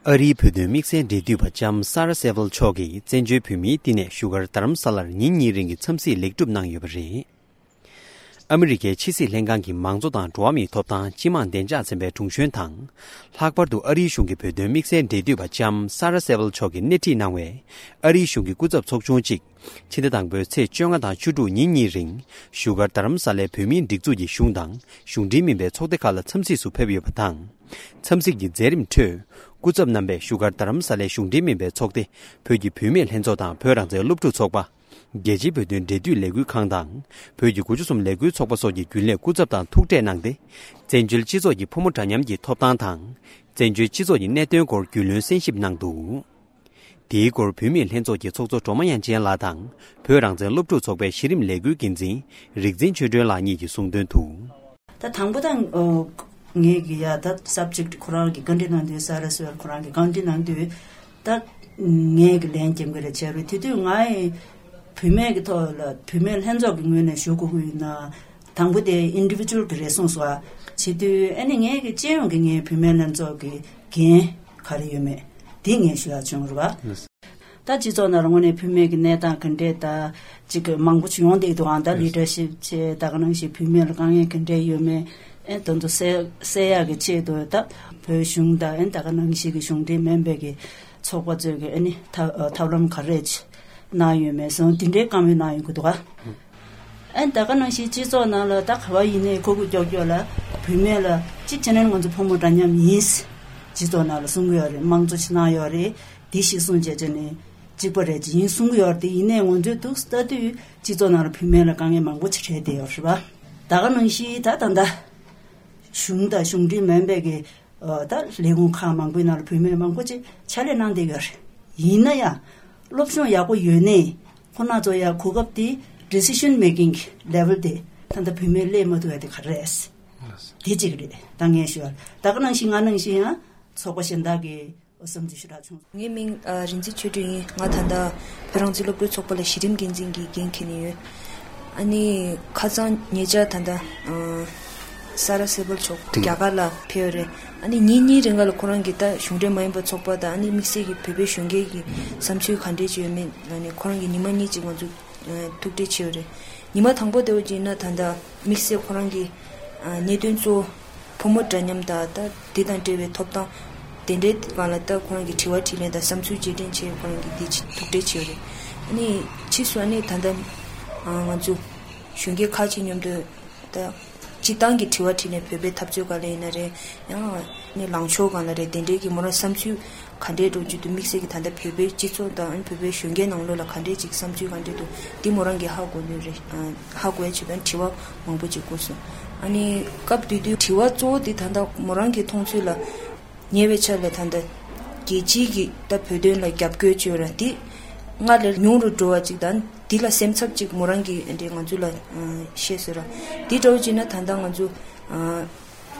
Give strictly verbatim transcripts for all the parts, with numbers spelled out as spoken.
ཨ་རིའི་བོད་དོན་དམིགས་བསལ་འབྲེལ་མཐུད་པ་ལྕམ་ས་ར་སེ་ཝལ་མཆོག་གིས་བཙན་བྱོལ་བོད་མིའི་བསྟི་གནས་བཞུགས་སྒར་རྡ་རམ་ས་ལར་ཉིན་གཉིས་རིང་གི་འཚམས་གཟིགས་ལེགས་གྲུབ་གནང་ཡོད་པ་རེད། ཨ་མི་རི་ཀའི་ཕྱི་སྲིད་ལྷན་ཁང་གི་མང་གཙོ་དང་འགྲོ་བ་མིའི་ཐོབ་ཐང་སྤྱི་དམངས་བདེ་འཇགས་ཚན་པའི་དྲུང་གཞོན་དང་། ལྷག་པར་དུ་ཨ་རིའི་གཞུང་གི་བོད་དོན་དམིགས་བསལ་འབྲེལ་མཐུད་པ་ལྕམ་ས་ར་སེ་ཝལ་མཆོག་གིས་སྣེ་ཁྲིད་གནང་བའི་ཨ་རིའི་གཞུང་གི་སྐུ་ཚབ་ཚོགས་ཆུང་གཅིག་ཕྱི་ཟླ་དང་པོའི་ཚེས་བཅོ་ལྔ་དང་བཅུ་དྲུག་ཉིན་གཉིས་རིང་བཞུགས་སྒར་རྡ་རམ་ས་ལའི་བོད་མིའི་སྒྲིག་འཛུགས་ཀྱི་གཞུང་དང་གཞུང་འབྲེལ་མིན་པའི་ཚོགས་སྡེ་ཁག་ལ་འཚམས་གཟིགས་སུ་ཕེབས་ཡོད་པ་དང་། འཚམས་གཟིགས་ཀྱི་མཛད་རིམ་ཁྲོད། སྐུ་ཚབ་རྣམ་པས་བཞུགས་སྒར་རྡ་རམ་ས་ལའི་གཞུང་འབྲེལ་མིན་པའི་ཚོགས་སྡེ་བོད་ཀྱི་བུད་མེད་ལྷན་ཚོགས་དང་བོད་རང་བཙན་སློབ་ཕྲུག་ཚོགས་པ། རྒྱལ་སྤྱིའི་བོད་དོན་འབྲེལ་མཐུད་ལས་འགུལ་ཁང་དང་། བོད་ཀྱི་དགུ་བཅུ་གསུམ་ལས་འགུལ་ཚོགས་པ་སོགས་ཀྱི་རྒྱུན་ལས་སྐུ་ཚབ་དང་ཐུག་འཕྲད་གནང་སྟེ། བཙན་བྱོལ་སྤྱི་ཚོགས་ཀྱི་ཕོ་མོ་འདྲ་མཉམ་གྱི་ཐོབ་ཐང་དང་། བཙན་བྱོལ་སྤྱི་ཚོགས་ཀྱི་གནད་དོན་སྐོར་རྒྱུས་ལོན་གསན་ཞིབ་གནང་འདུག་དེའི་སྐོར་བུད་མེད་ལྷན་ཚོགས་ཀྱི་ཚོགས་གཙོ་སྒྲོལ་མ་དབྱངས་ཅན་ལགས་དང་། བོད་རང་བཙན་སློབ་ཕྲུག་ཚོགས་པའི་གཞི་རིམ་ལས་འགུལ་འགན་འཛིན་རིག་འཛིན་ཆོས་སྒྲོན་ལགས་གཉིས་ཀྱིས་གསུངས་དོན་དུ། ད་དང་པོ་དང་། ཨོ། ངས་ཀྱི་ཡ་ད་སབ་ཇེག་ཁོ་རང་གི་བཀའ་འདྲི་གནང་དུས་ས་ར་སེ་ཝལ་ཁོ་རང་གི་བཀའ་འདྲི་གནང་དུས། ད་ངས་ཀྱི་ལན་རྒྱབ་ཀྱི་རེད་བྱས་རེད། དེ་དུས་ང་ཡི་བུད་མེད་ཀྱི་ཐོག་ལ་བུད་མེད་ལྷན་ཚོགས་ཀྱི་ངོས་ནས་ཞུ་དགོས་ཀྱི་ཡོད་ན། དང་པོ་དེ་ཨིན་ཌི་བི་ཇུ་ཨལ་གྱི་རེད་གསུངས་སོང་ཨ། བྱེད་དུས་ཨ་ནི་ངས་ཀྱི་སྤྱི་ཡོངས་ཀྱི་ངའི་བུད་མེད་ལྷན་ཚོགས་ཀྱི་འགན་ག་རེ་ཡོད་མེད་དེ་ངས་ཞུ་ཡག་བྱུང་རེད་བ། ད་སྤྱི་ཚོགས་ནང་ལ་དངོས་གནས་བུད་མེད་ཀྱི་གནས་སྟངས་ག་འདྲས་ད་ཅིག་གི་མང་པོ་ཅིག་ཡོང་བསྡད་འདུག་ཨང་། ད་ལི་ཌར་ཤིབ་ཆེད་ད་ག་ནང་བཞིན་བུད་མེད་ལ་དཀའ་ངལ་ག་འདྲས་ཡོད་མེད། ཨེ་དོན་དུ་སེལ་སེལ་ཡག་གི་ཆེད་དུ་ད་བོད་གཞུང་དང་ཨེ་ད་ག་ནང་བཞིན་གྱི་གཞུང་འབྲེལ་མིན་པའི་གི་ཚོགས་པ་ཚོས་གི་ཨ་ནི་ཐབས་ཐབས་ལམ་ག་རེ་ཅིག་གནང་ཡོད་མེད་སོང་དེ་འདྲའི་བཀའ་མོལ་གནང་ཡོང་གི་འདུག་ཨ། ཨེ་ད་ག་ནང་བཞིན་སྤྱི་ཚོགས་ནང་ལ་ད་ག་བ་ཡིན་ནའི་ཁོ་གི་ཀྱོག་ཀྱོག་ལ་བུད་མེད་ལ་གཅིག་བྱས་ན་ང་ཚོ་ཕོ་མོ་འདྲ་མཉམ་ཡིན། སྤྱི་ཚོགས་ནང་ལ་གསུང་གི་ཡོད་རེད། དམངས་གཙོ་ཅིག་གནང་ཡོད་རེད། དེ་ཞིག་གསུངས་བྱས་བྱས་ནས་གཅིག་པ་རེད་ཅིག་ཡིན་གསུང་གི་ཡོད་རེད། དེ་ཡིན་ནའི་ང་ཚོས་འདུག་ལྟ་དུས་སྤྱི་ཚོགས་ནང་ལ་བུད་མེད་ལ་དཀའ་ངལ་མང་པོ་ཅིག་འཕྲད་བསྡད་ཡོད་རེད་པ། ད་ག་ནང་བཞིན་ད་ད་ལྟ་གཞུང་དང་གཞུང་འབྲེལ་མིན་པའི་གི་ད་ལས་ཁུངས་ཁག་མང་པོའི་ནང་ལ་བུད་མེད་མང་པོ་ཅིག་ཕྱག་ལས་གནང་བསྡད་ཡོད་རེད། ཡིན་ན་ཡང་སློབ་སྦྱོང་ཡག་པོ་ཡོད་ནའི་ཁོ་ན་ཚོ་ཡང་གོ་སྐབས་དེ་decision making level དེ་ད་ལྟ་བུད་མེད་སླེབས་མ་ཐུབ་ཡ་དེ་ག་རེ་རེད། དེ་གཅིག་རེད། ད་ངས་ཞུ་བ་ད་ག་ནང་བཞིན་ང་ནང་བཞིན་ཡང་ཚོགས་པ་གཞན་དག་གི་བསམ་ཚུལ་ཞུ་དག་བྱུང་། ངའི་མིང་ཨ་རིག་འཛིན་ཆོས་སྒྲོན་ཡིན། ང་ད་ལྟ་བོད་རང་བཙན་སློབ་ཕྲུག་ཚོགས་པ་ལ་གཞི་རིམ་འགན་འཛིན་གྱི་འགན་འཁྱེར་ནས་ཡོད། ཨ་ནི་ཁ་སང་ཉེ་ཆར་ད་ལྟ་ཨ་ས་ར་སེ་བལ་མཆོག་རྒྱ་གར་ལ་ཕེབས་ཡོད་རེད། ཨ་ནི་ཉིན་གཉིས་རིང་ག་ལ་ཁོ་རང་གིས་ད་གཞུང་འབྲེལ་མ་ཡིན་པ་ཚོགས་པ་དང་ཨ་ནི་དམིགས་བསལ་གྱི་བོད་པའི་གཞོན་སྐྱེས་ཀྱི་བསམ་ཚུལ་ག་འདྲས་ཅིག་ཡོད་མེད་ལ་ནི་ཁོ་རང་གིས་ཉི་མ་གཉིས་ཅིག་ང་ཚོ་ཐུག་འཕྲད་བྱས་ཡོད་རེད། ཉི་མ་དང་པོ་དེ་བ་ཅིག་ཡིན་ན་ད་ལྟ་དམིགས་བསལ་ཁོ་རང་གི་གནད་དོན་གཙོ་བོ་ཕོ་མོ་འདྲ་མཉམ་དང་ད་དེ་དང་འབྲེལ་བའི་ཐོབ་ཐང་དེ་འདྲའི་སྒང་ལ་ད་ཁོ་རང་གི་དྲི་བ་དྲིས་ལན་དང་བསམ་ཚུལ་བརྗེ་དྲན་བྱས་ཁོ་རང་གི་དེ་ཐུག་འཕྲད་བྱས་ཡོད་རེད། ཨ་ནི་ཕྱིས་སུ་ཨ་ནི་ད་ལྟ་ང་ཚོ་གཞོན་སྐྱེས་ཁག་ཅིག་མཉམ་དུ་ད་སྤྱི་བཏང་གི་དྲི་བ་དྲིས་ནས་བོད་པའི་འཐབ་རྩོད་སྒང་ལ་ཡིན་ན་རེད། ཡང་ནི་ལངས་ཕྱོགས་སྒང་ལ་རེད། དེ་འདྲའི་གི་མོ་རང་བསམ་ཚུལ་ག་འདྲའི་འགྲོ་རྒྱུ་འདུག་དམིགས་བསལ་གྱི་ད་ལྟ་བོད་པའི་སྤྱི་ཚོགས་དང་བོད་པའི་གཞོན་སྐྱེས་ནང་ལོགས་ལ་ག་འདྲའི་ཅིག་བསམ་ཚུལ་ག་འདྲའི་འདུག་འདི་མོ་རང་གི་ཧ་གོ་ནི་རེད། ཧ་གོ་ཡ་ཆེད་དུ་དྲི་བ་མང་པོ་ཅིག་བསྐུར་སོང་། ཨ་ནི་སྐབས་དེ་དུས་དྲི་བ་གཙོ་བོ་དེ་ད་ལྟ་མོ་རང་གི་མཐོང་ཚུལ་ལ། ཉེ་བའི་ཆར་ལ་ད་ལྟ་རྒྱལ་སྤྱིའི་གི་ད་བོད་དོན་ལ་རྒྱབ་སྐྱོར་བྱེད་ར་འདི་སྔར་ལས་ཉུང་རུ་འགྲོ་བ་ཅིག་དང་འདི་ལ་སེམས་འཚབ་ཅིག་མོ་རང་གི་འདི་ང་ཚོ་ལ་བཤད་ཟེར་ར། འདི་འདྲ་བོ་ཅིག་ན་ད་ལྟ་ང་ཚོ་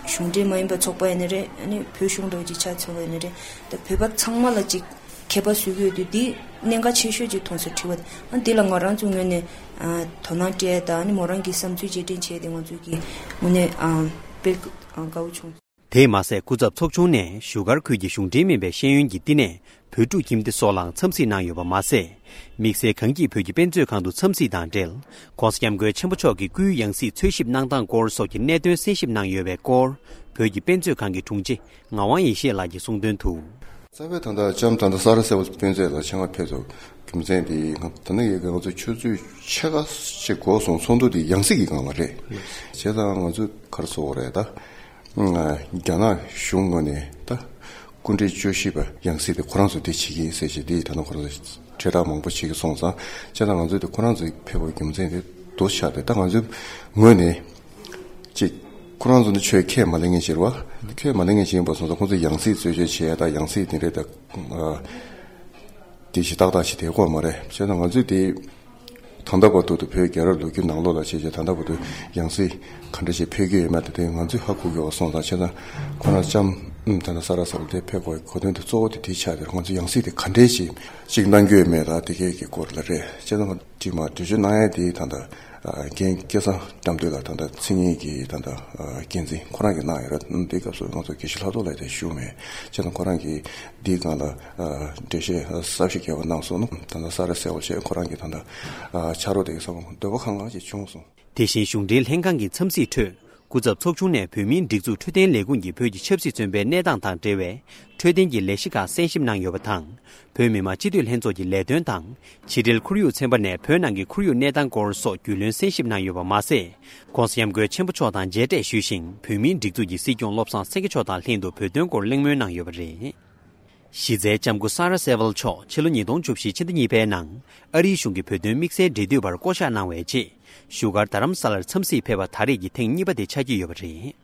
གཞུང་འབྲེལ་མ་ཡིན་པ་ཚོགས་པ་ཡིན་ན་རེད། ཨ་ནི་བོད་གཞུང་འདྲ་བོ་ཅིག་ཆ་ཚང་བ་ཡིན་ན་རེད། ད་བོད་པ་ཚང་མ་ལ་ཅིག་ཁྱད་པར་བཟོ་གི་ཡོད་དུས་འདི་གནད་འགག་ཆེ་ཤོས་ཅིག་མཐོང་སོང་དྲི་བ་དེ། ཨ་འདི་ལ་ང་རང་ཚོ་ངོས་ནས་དོ་སྣང་སྤྲད་དང་ཨ་ནི་མོ་རང་གི་བསམ་ཚུལ་རྗེས་དྲན་བྱས་ཏེ་ང་ཚོ་གི་ངོས་ནས་དཔེ་དགའ་བོ་བྱུང་། དེས་མ་ཟད་སྐུ་ཚབ་ཚོགས་ཆུང་ནས་བཞུགས་སྒར་ཁུལ་གྱི་གཞུང་འབྲེལ་མིན་པའི་ཤེས་ཡོན་གྱི་བསྟི་གནས་བོད་ཕྲུག་ཁྱིམ་སྡེ་སོགས་ལའང་འཚམས་གཟིགས་གནང་ཡོད་པ་མ་ཟད། དམིགས་བསལ་གངས་སྐྱིད་བོད་ཀྱི་དཔེ་མཛོད་ཁང་དུ་འཚམས་གཟིགས་དང་འབྲེལ། ྋགོང་ས་ྋསྐྱབས་མགོན་ཆེན་པོ་མཆོག་གི་སྐུའི་ཡང་སྲིད་འཚོལ་ཞིབ་གནང་སྟངས་སྐོར་སོགས་ཀྱི་གནད་དོན་གསན་ཞིབ་གནང་ཡོད་པའི་སྐོར། བོད་ཀྱི་དཔེ་མཛོད་ཁང་གི་དྲུང་ཆེ་ངག་དབང་ཡེ་ཤེས་ལགས་ཀྱིས་གསུངས་དོན་དུ། རྩ་བའི་ད་ལྟ་ལྕམ་ད་ལྟ་ས་ར་སེ་བལ་དཔེ་མཛོད་ལ་ཆེད་མངགས་ཕེབས་ཐུབ་རྒྱུ་མཚན་དེ་ད་ནི་ཡི་གེ་ང་ཚོ་ཆུ་ཚོད་ཕྱེད་ཀ་ཅིག་འགོར་སོང་། ཚོགས་འདུ་དེ་ཡང་སྲིད་ཀྱི་སྒང་ལ་རེད། བྱས་ཙང་ང་ཚོས་ག་རེ་ཟེར་དགོས་རེད་ད། རྒྱ་ནག་གཞུང་ངོས་ནས་ད་སྐུ་མགྲོན་བཅུ་བཞི་པ་ཡང་སྲིད་དེ་ཁོ་རང་ཚོ་དེ་བྱེད་ཀྱི་ཡིན་ཟེར་བྱས་དེ་ད་ནི་ཁོ་རང་ཚོ་དྲིལ་བསྒྲགས་མང་པོ་བྱེད་ཀྱི་སོང་ཙང་། བྱས་ཙང་ང་ཚོས་དེ་ཁོ་རང་ཚོ་ཕེབས་པའི་རྒྱུ་མཚན་དེ་འདུག་ཆགས་ཏེ་ད་ང་ཚོའི་ངོས་ནས། ཅིག་ཁོ་རང་ཚོ་ནི་ཆོས་ཁས་མ་ལེན་མཁན་ཞིག་རེད་བ། ཁས་མ་ལེན་མཁན་ཞིག་ཡིན་པ་སོང་ཙང་ཁོང་ཚོ་ཡང་སྲིད་རྩོད་བཅད་བྱེད་ཡ་དང་ཡང་སྲིད་དེ་འདྲའི་ད་དེ་ཞིག་ཏག་ཏག་ཞིག་དེ་དགོས་མ་རེད། བྱས་ཙང་ང་ཚོས་དེ་ད་ལྟ་བར་དུ་བོད་རྒྱལ་རབས་ལོ་རྒྱུས་ནང་ལོགས་ལ་བྱས་བྱས་ད་ལྟ་བར་དུ་ཡང་སྲིད་ག་འདྲ་ཞིག་ཕེབས་ཀྱི་ཡོད་མེད་དེ་དེ་ང་ཚོས་ཧ་གོ་གི་ཡོད་སོང་ཙང་། བྱས་ཙང་ཁོ་རང་ལྕམ་ད་ལྟ་ས་ར་ས་བ་དེ་ཕེབས་དགོས་གོ་དོན་དེ་གཙོ་བོ་དེ་དེ་ཆགས་དེ་ང་ཚོ་ཡང་སྲིད་དེ་ག་འདྲས་ཞིག་ཅིག་གནང་རྒྱུ་ཡོད་མེད་ད་དེ་གའི་གི་སྐོར་ལ་རེད། བྱས་ཙང་ཅིག་མ་འགྲེལ་བརྗོད་གནང་ཡ་དེ་ད་ལྟ། འགན་སྐལ་བཟང་བཀྲམ་སྟོན་ལ་ད་ལྟ་མཚན་སྙན་གྱི་ད་ལྟ་འགན་འཛིན་ཁོ་རང་གིས་གནང་ཡོད་རེད། འདིའི་སྐབས་སུ་ང་ཚོ་དགེ་བཤེས་ལྷག་རྡོར་ལགས་དེ་བཞུགས་མེད། བྱས་ཙང་ཁོ་རང་གིས་འདིའི་སྒང་ལ་འགྲེལ་བཤད་ཟབ་ཞིག་རྒྱབ་པ་གནང་སོང་ནོ། ད་ལྟ་ས་རཱ་གསལ་བ་བྱས་ཁོ་རང་གིས་ད་ལྟ་ཕྱག་རོགས་དེ་གི་ས་བོན་འདོད་པ་ཁང་ཁང་ཞིག་བྱུང་སོང་། དེ་བཞིན་གཞུང་འབྲེལ་ལྷན་ཁང་གི་འཚམས་གཟིགས་ཁྲོད་སྐུ་ཚབ་ཚོགས་ཆུང་ནས་བོད་མིའི་སྒྲིག་འཛུགས་འཕྲོད་བསྟེན་ལས་ཁུངས་ཀྱི་བོད་ཀྱི་ཆབ་སྲིད་བཙོན་པའི་གནས་སྟངས་དང་འབྲེལ་བའི་འཕྲོད་བསྟེན་གྱི་ལས་གཞི་ཁག་གསན་ཞིབ་གནང་ཡོད་པ་དང་། བོད་མི་མང་སྤྱི་འཐུས་ལྷན་ཚོགས་ཀྱི་ལས་དོན་དང་། ཕྱི་འབྲེལ་ཁོར་ཡུག་ཚན་པ་ནས་བོད་ནང་གི་ཁོར་ཡུག་གནས་སྟངས་སྐོར་སོགས་རྒྱུས་ལོན་གསན་ཞིབ་གནང་ཡོད་པ་མ་ཟད། ྋགོང་ས་ྋསྐྱབས་མགོན་ཆེན་པོ་མཆོག་དང་མཇལ་འཕྲད་ཞུས་ཤིང་། བོད་མིའི་སྒྲིག་འཛུགས་ཀྱི་སྲིད་སྐྱོང་བློ་བཟང་སེང་གེ་མཆོག་དང་ལྷན་དུ་བོད་དོན་སྐོར་གླེང་མོལ་གནང་ཡོད་པ་རེད། གཞི་རྩའི་ལྕམ་སྐུ་ས་རཱ་སེ་ཝལ་མཆོག་ཕྱི་ལོ་ཉིས་སྟོང་བཅུ་བཞི་ཕྱི་ཟླ་གཉིས་པའི་ནང་ཨ་རིའི་གཞུང་གི་བོད་དོན་དམིགས་བསལ་འབྲེལ་མཐུད་པར་བསྐོ་གཞག་གནང་བའི་རྗེས། བཞུགས་སྒར་རྡ་རམ་ས་ལར་འཚམས་གཟིགས་ཕེབས་པ་ད་རེས་ཀྱི་ཐེངས་གཉིས་པ་དེ་ཆགས་ཀྱི་ཡོད་པ་རེད།